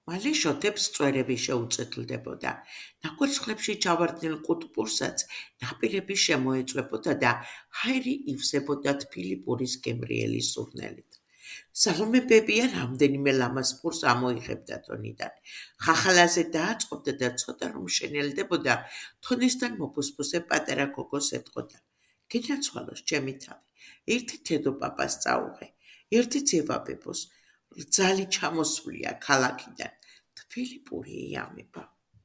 მალე შოთებს წვერები შეუწეთლდებოდა. ნაკვერცხლებში ჩავარდნილ ყუტპურსაც ნაპირები შემოეწვებოდა და ჰაერი ივსებოდა თბილი პურის გემრიელი სურნელით. სალომე ბებია რამდენიმე ლამაზ პურს ამოიღებდა თონიდან. ხახალაზე დააწყობდა და ცოტა რომ შენელდებოდა, თონესთან მოფუსფუსე პატარა გოგოს ეტყოდა: გენაცვალოს ჩემი თავი, ერთი თედო პაპას წაუღე, ერთი ძევაბებოს, რძალი ჩამოსულია ქალაქიდან, თბილი პური იამება.